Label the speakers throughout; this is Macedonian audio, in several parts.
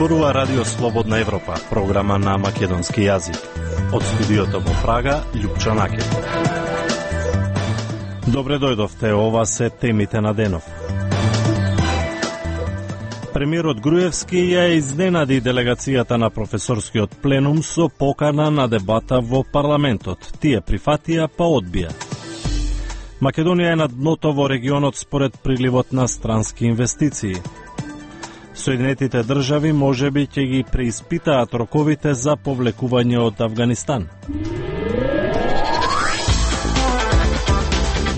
Speaker 1: зборува Радио Слободна Европа, програма на македонски јазик. Од студиото во Прага, Љупчо Накев. Добре дојдовте, ова се темите на денов. Премиерот Груевски ја изненади делегацијата на професорскиот пленум со покана на дебата во парламентот. Тие прифатија, па одбија. Македонија е на дното во регионот според приливот на странски инвестиции. Соединетите држави можеби ќе ги преиспитаат роковите за повлекување од Авганистан.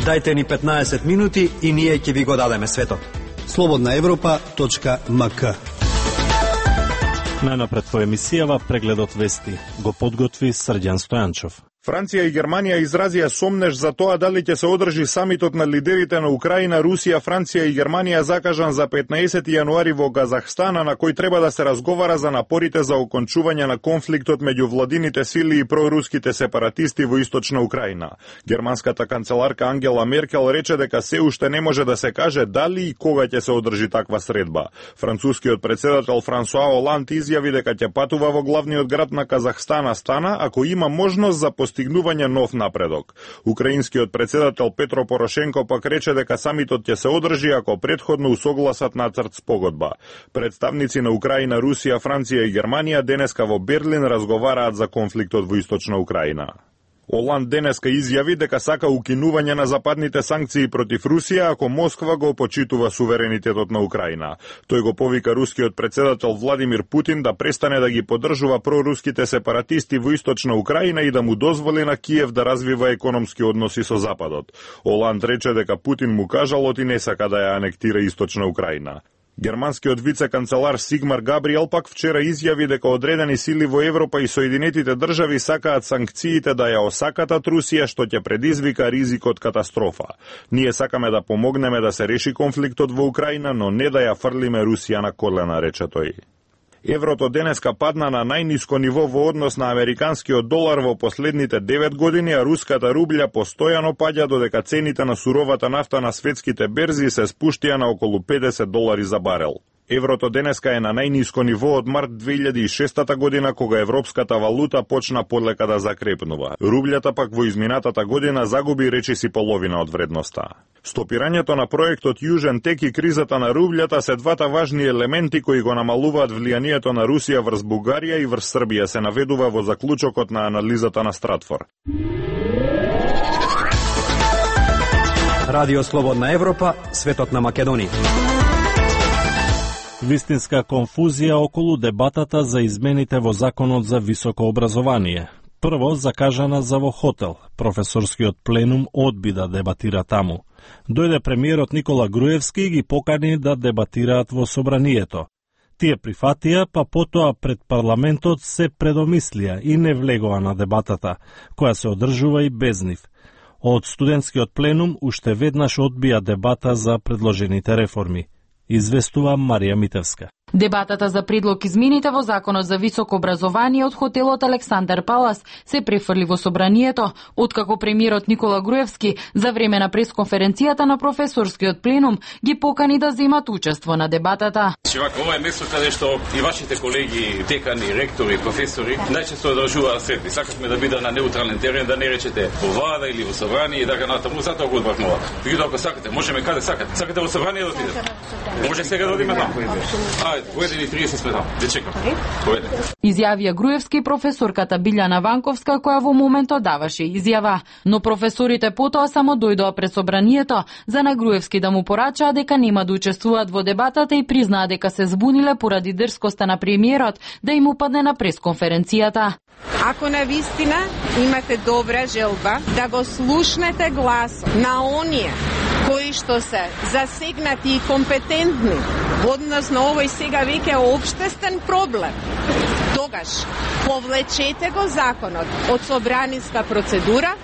Speaker 2: Дајте ни 15 минути и ние ќе ви го дадеме светот.
Speaker 3: slobodnaevropa.mk.
Speaker 1: Најнапред во емисијава прегледот вести го подготви Срđan Стојанчов.
Speaker 4: Франција и Германија изразија сомнеж за тоа дали ќе се одржи самитот на лидерите на Украина, Русија, Франција и Германија закажан за 15 јануари во Казахстан, на кој треба да се разговара за напорите за окончување на конфликтот меѓу владините сили и проруските сепаратисти во источна Украина. Германската канцеларка Ангела Меркел рече дека се уште не може да се каже дали и кога ќе се одржи таква средба. Францускиот председател Франсуа Оланд изјави дека ќе патува во главниот град на Казахстан, Астана, ако има можност за постигнување нов напредок. Украинскиот председател Петро Порошенко пак рече дека самитот ќе се одржи ако претходно усогласат нацрт спогодба. Представници на Украина, Русија, Франција и Германија денеска во Берлин разговараат за конфликтот во источна Украина. Оланд денеска изјави дека сака укинување на западните санкции против Русија ако Москва го почитува суверенитетот на Украина. Тој го повика рускиот председател Владимир Путин да престане да ги поддржува проруските сепаратисти во источна Украина и да му дозволи на Киев да развива економски односи со Западот. Оланд рече дека Путин му кажал и не сака да ја анектира источна Украина. Германскиот вице-канцелар Сигмар Габриел пак вчера изјави дека одредени сили во Европа и Соединетите држави сакаат санкциите да ја осакатат Русија, што ќе предизвика ризик од катастрофа. Ние сакаме да помогнеме да се реши конфликтот во Украина, но не да ја фрлиме Русија на колена, рече тој. Еврото денеска падна на најниско ниво во однос на американскиот долар во последните 9 години, а руската рублја постојано паѓа додека цените на суровата нафта на светските берзи се спуштија на околу $50 за барел. Еврото денеска е на најниско ниво од март 2006 година, кога европската валута почна полека да закрепнува. Рублјата пак во изминатата година загуби речиси половина од вредноста. Стопирањето на проектот Јужен тек и кризата на рублјата се двата важни елементи кои го намалуваат влијанието на Русија врз Бугарија и врз Србија, се наведува во заклучокот на анализата на Стратфор.
Speaker 2: Радио Слободна Европа, светот на Македонија.
Speaker 1: Вистинска конфузија околу дебатата за измените во Законот за високо образование. Прво закажана за во хотел. Професорскиот пленум одби да дебатира таму. Дојде премиерот Никола Груевски и ги покани да дебатираат во собранието. Тие прифатија, па потоа пред парламентот се предомислија и не влегоа на дебатата, која се одржува и без нив. Од студентскиот пленум уште веднаш одбија дебата за предложените реформи. Известува Марија Митевска.
Speaker 5: Дебатата за предлог измените во Законот за високо образование од хотелот Александар Палас се префрли во собранието, откако премиерот Никола Груевски за време на пресконференцијата на професорскиот пленум ги покани да земат учество на дебатата.
Speaker 6: Ова е место каде што и вашите колеги, декани, ректори, професори најчесто одржуваат средби. Сакавме да биде на неутрален терен, да не речете во влада или во собрание и така натаму, затоа го одбрахме ова. Меѓутоа ако сакате, можеме каде сакате. Сакате во собрание да отидете? Може сега да одиме таму. Поедени 30 сме таму. Де чекам.
Speaker 5: Изјавија Груевски професорката Билјана Ванковска, која во моментот даваше изјава, но професорите потоа само дојдоа пред собранието за на Груевски да му порачаа дека нема да учествуваат во дебатата и признаа дека се збуниле поради дрскоста на премиерот да им упадне на пресконференцијата.
Speaker 7: Ако навистина имате добра желба да го слушнете гласот на оние кои што се засегнати и компетентни односно овој сега веќе општествен проблем, тогаш повлечете го законот од собраниска процедура,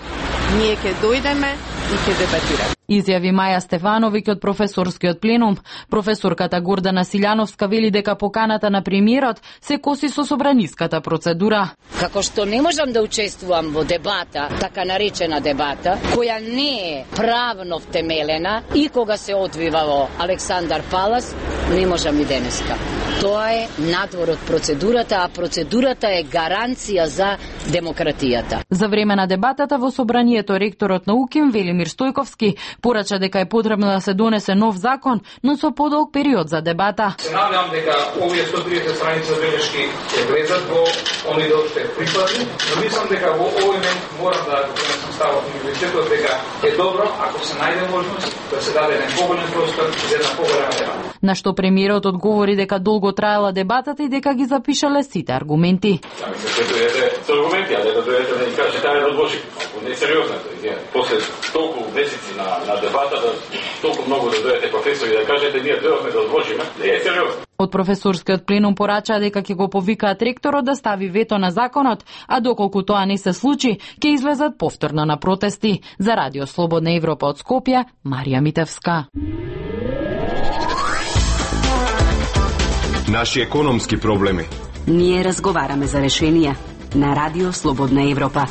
Speaker 7: ние ќе дојдеме и ќе дебатираме.
Speaker 5: Изјави Маја Стефановиќ од професорскиот пленум. Професорката Гордана Силјановска вели дека поканата на премиерот се коси со собраниската процедура.
Speaker 8: Како што не можам да учествувам во дебата, така наречена дебата, која не е правно втемелена и кога се одвива во Александар Палас, не можам и денеска. Тоа е надвор од процедурата, а процедурата е гаранција за демократијата.
Speaker 5: За време на дебатата во собранието ректорот на УКИМ Велимир Стојковски порача дека е потребно да се донесе нов закон, но со подолг период за дебата.
Speaker 3: Се надевам дека овие 130 страници белешки ќе влезат во оние дел што е прикладни, но мислам дека во овој момент морам да го ставам универзитетот дека е добро ако се најде можност да се даде еден поголем простор за една поголема дебата.
Speaker 5: На што премиерот одговори дека долго траела дебатата и дека ги запишале сите аргументи.
Speaker 6: Сами се дојдете со аргументи, а да дојдете да ни кажете ајде да одложи. Не е сериозно тоа. После толку месеци на дебата, да толку многу да дојдете професори да кажете ние дојдовме да одложиме, не е сериозно.
Speaker 5: Од професорскиот пленум порачаа дека ќе го повикаат ректорот да стави вето на законот, а доколку тоа не се случи, ќе излезат повторно на протести. За Радио Слободна Европа од Скопје, Марија Митевска.
Speaker 9: Наши економски проблеми.
Speaker 10: Ние разговараме за решенија на Радио Слободна Европа.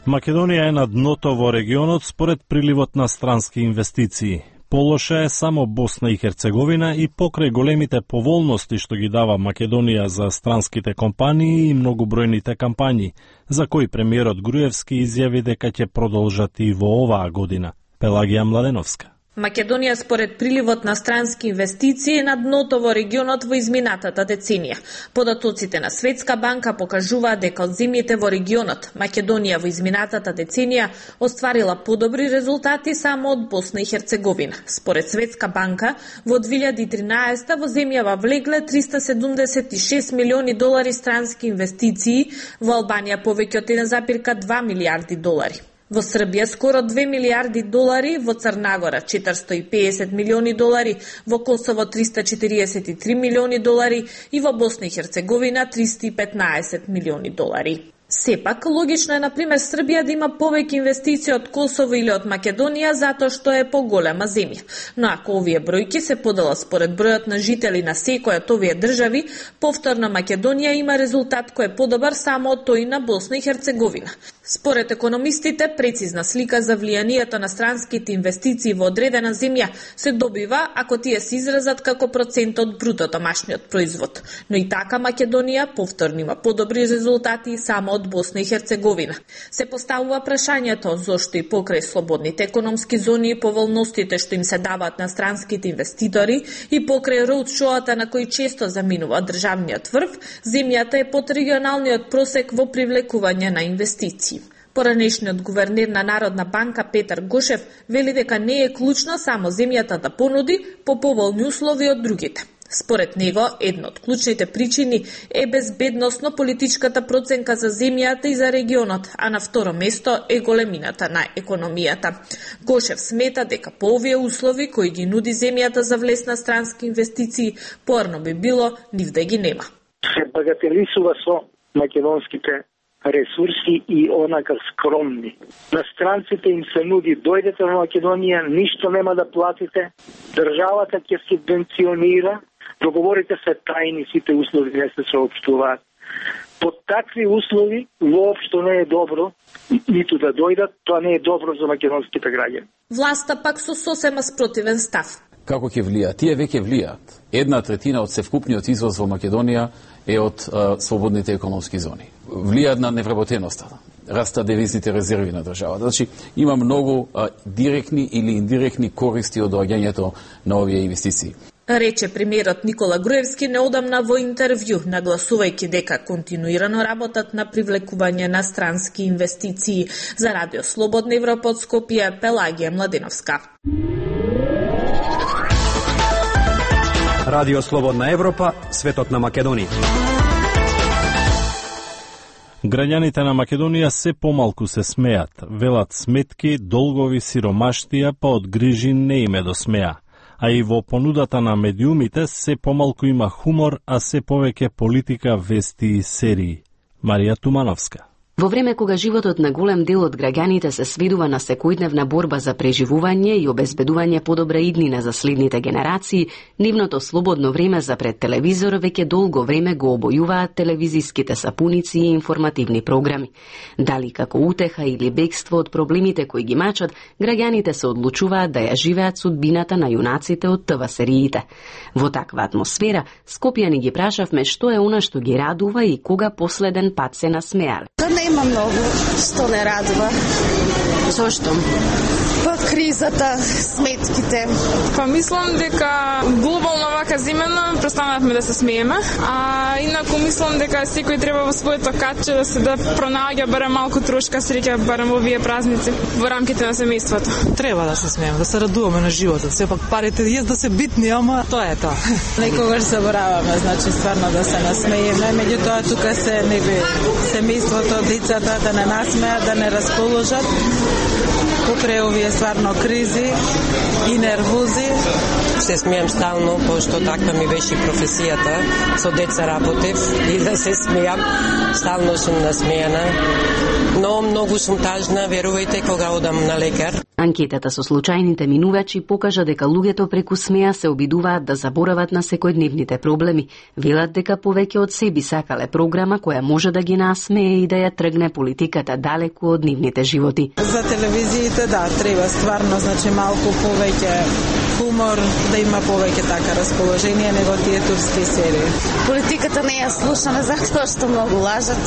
Speaker 1: Македонија е на дното во регионот според приливот на странски инвестиции. Полоша е само Босна и Херцеговина и покрај големите поволности што ги дава Македонија за странските компании и многобројните кампањи, за кои премиерот Груевски изјави дека ќе продолжат и во оваа година. Пелагија Младеновска.
Speaker 11: Македонија според приливот на странски инвестиции е на дното во регионот во изминатата деценија. Податоците на Светска банка покажуваат дека од земјите во регионот Македонија во изминатата деценија остварила подобри резултати само од Босна и Херцеговина. Според Светска банка во 2013 во земјава влегле 376 милиони долари странски инвестиции, во Албанија повеќе од 1,2 милијарди долари. Во Србија скоро 2 милијарди долари, во Црнагора 450 милиони долари, во Косово 343 милиони долари и во Босна и Херцеговина 315 милиони долари. Сепак, логично е, например, Србија да има повеќе инвестиции од Косово или од Македонија, затоа што е поголема земја. Но ако овие бројки се поделат според бројот на жители на секоја од овие држави, повторно Македонија има резултат кој е подобар само од тој на Босна и Херцеговина. Според економистите, прецизна слика за влијанието на странските инвестиции во одредена земја се добива ако тие се изразат како процент од бруто домашниот производ. Но и така Македонија повторно има подобри резултати само од Босна и Херцеговина. Се поставува прашањето зошто и покрај слободните економски зони и поволностите што им се даваат на странските инвеститори и покрај роудшоата на кои често заминува државниот врв, земјата е под регионалниот просек во привлекување на инвестиции. Поранешниот гувернер на Народна банка Петар Гошев вели дека не е клучно само земјата да понуди по поволни услови од другите. Според него, една од клучните причини е безбедносно политичката проценка за земјата и за регионот, а на второ место е големината на економијата. Гошев смета дека по овие услови кои ги нуди земјата за влез на странски инвестиции, порно би било нив да ги нема.
Speaker 12: Се багателисува со македонските ресурси и онака скромни. На странците им се нуди дојдете во Македонија, ништо нема да платите, државата ќе субвенционира, договорите се тајни, сите услови не се соопштуваат. Под такви услови воопшто не е добро ниту да дојдат, тоа не е добро за македонските граѓани.
Speaker 11: Власта пак со сосема спротивен став.
Speaker 13: Како ќе влијаат? Тие веќе влијаат. 1/3 од севкупниот извоз во Македонија е од слободните економски зони. Влијаат на невработеноста, раста девизните резерви на државата. Значи, има многу директни или индиректни користи од доаѓањето на овие инвестиции.
Speaker 11: Рече премиерот Никола Груевски неодамна во интервју, нагласувајќи дека континуирано работат на привлекување на странски инвестиции. За Радио Слободна Европа од Скопје, Пелагија Младеновска.
Speaker 2: Радио Слободна Европа, светот на Македонија.
Speaker 1: Граѓаните на Македонија се помалку се смеат, велат сметки, долгови, сиромаштија, па од грижи не име до смеа. А и во понудата на медиумите се помалку има хумор, а се повеќе политика, вести и серии. Марија Тумановска.
Speaker 10: Во време кога животот на голем дел од граѓаните се сведува на секојдневна борба за преживување и обезбедување подобра иднина за следните генерации, нивното слободно време за пред телевизор веќе долго време го обојуваат телевизиските сапуници и информативни програми. Дали како утеха или бегство од проблемите кои ги мачат, граѓаните се одлучуваат да ја живеат судбината на јунаците од ТВ сериите. Во таква атмосфера, Скопјани ги прашавме што е она што ги радува и кога последен пат се насмеале.
Speaker 9: Нема многу што не радува.
Speaker 10: Зошто?
Speaker 9: Па кризата, сметките.
Speaker 14: Па мислам дека глобално вака зимено престанавме да се смееме, а инаку мислам дека секој треба во своето катче да се пронаоѓа барем малку трошка среќа барем во овие празници во рамките на семејството.
Speaker 15: Треба да се смееме, да се радуваме на животот. Сепак парите да се битни, ама тоа е тоа.
Speaker 16: Некогаш забораваме, значи стварно да се насмееме, меѓутоа тука се семејството, децата да не насмеат, да не расположат. Покрај овие стварно кризи и нервози.
Speaker 17: Се смеам стално, пошто таква ми беше професијата. Со деца работев и да се смеам. Стално сум насмејана. Но многу сум тажна, верувајте, кога одам на лекар.
Speaker 10: Анкетата со случајните минувачи покажа дека луѓето преку смеа се обидуваат да заборават на секојдневните проблеми. Велат дека повеќе од себе сакале програма која може да ги насмее и да ја тргне политиката далеку од нивните животи.
Speaker 16: За телевизиите да, треба стварно, значи малку повеќе хумор, да има повеќе така расположение него тие турски серии.
Speaker 9: Политиката не ја слушаме затоа што многу лажат.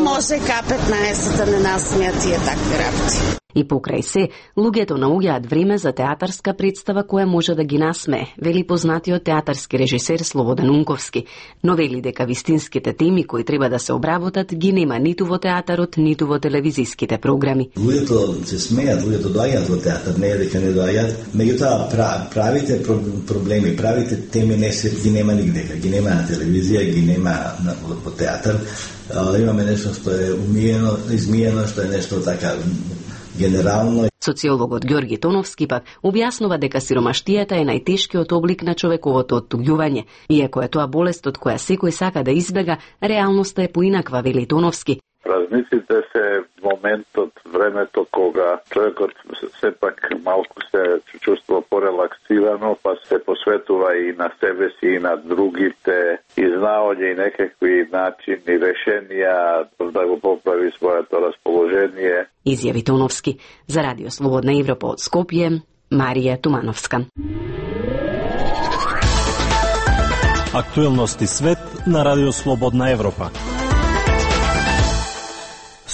Speaker 9: Може К15 да не насмеат тие такви работи.
Speaker 10: И покрај се, луѓето наоѓаат време за театарска представа која може да ги насмее, вели познатиот театарски режисер Слободан Унковски, но вели дека вистинските теми кои треба да се обработат ги нема ниту во театарот, ниту во телевизиските програми.
Speaker 18: Луѓето се смеат, луѓето доаѓаат во театар, не е дека не доаѓаат, меѓутоа правите проблеми, правите теми не се ги нема нигде, ги нема на телевизија, ги нема во театар. Имаме нешто што е умиено, измиено, што е нешто така генерално.
Speaker 10: Социологот Ѓорги Тоновски пак објаснува дека сиромаштијата е најтешкиот облик на човековото оттуѓување. Иако е тоа болест од која секој сака да избега, реалноста е поинаква, вели Тоновски.
Speaker 19: Празниците се моментот, времето кога човекот сепак малку се чувствува порелаксирано, па се посветува и на себе си и на другите, изнаоѓа и некакви начини, решенија да го поправи своето расположение.
Speaker 10: Изјави Тоновски. За Радио Слободна Европа од Скопје, Марија Тумановска.
Speaker 1: Актуелности свет на Радио Слободна Европа.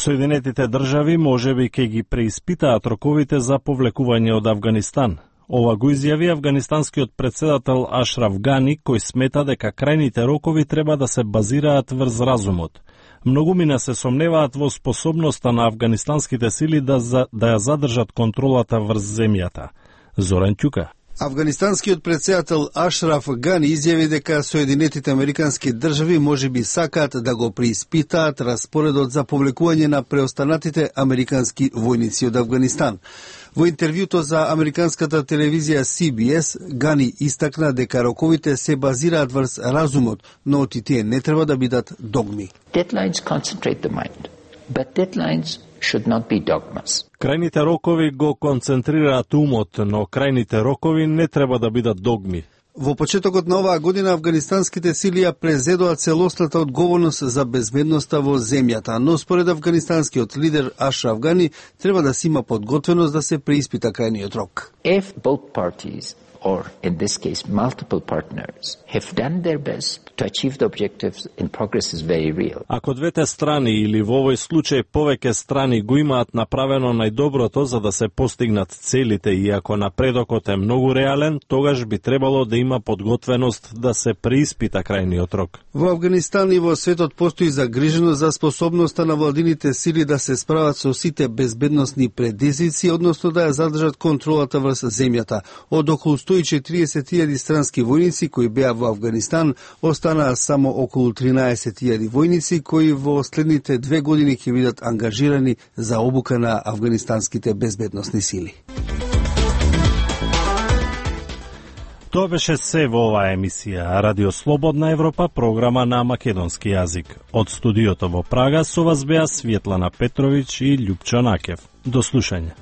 Speaker 1: Соединетите држави можеби ќе ги преиспитаат роковите за повлекување од Авганистан. Ова го изјави афганистанскиот претседател Ашраф Гани, кој смета дека крајните рокови треба да се базираат врз разумот. Многумина се сомневаат во способноста на афганистанските сили да ја задржат контролата врз земјата. Зоран Ќука.
Speaker 20: Афганистанскиот претседател Ашраф Гани изјави дека Соединетите американски држави можеби сакаат да го преиспитаат распоредот за повлекување на преостанатите американски војници од Авганистан. Во интервјуто за американската телевизија CBS, Гани истакна дека роковите се базираат врз разумот, но и тие не треба да бидат догми.
Speaker 21: Deadlines concentrate the mind, but deadlines should not be dogmas.
Speaker 1: Крајните рокови го концентрираат умот, но крајните рокови не треба да бидат догми.
Speaker 20: Во почетокот на оваа година афганистанските сили ја презедоа целосната одговорност за безбедноста во земјата, но според афганистанскиот лидер Ашраф Гани треба да се има подготвеност да се преиспита крајниот рок.
Speaker 21: If both parties, or in this case multiple partners, have done their best to achieve the objectives and progress is very real.
Speaker 1: Ако двете страни или во овој случај повеќе страни го имаат направено најдоброто за да се постигнат целите и ако напредокот е многу реален, тогаш би требало да има подготвеност да се преиспита крајниот рок.
Speaker 20: Во Авганистан и во светот постои загриженост за способноста на владините сили да се справат со сите безбедносни предизвици, односно да ја задржат контролата врз земјата. Од околу 140.000 странски војници кои беа во Авганистан, останаа само околу 13.000 војници кои во следните 2 години ќе бидат ангажирани за обука на афганистанските безбедносни сили.
Speaker 1: Тоа беше се во оваа емисија Радио Слободна Европа, програма на македонски јазик. Од студиото во Прага со вас беа Светлана Петровиќ и Љупчо Накев. До слушање.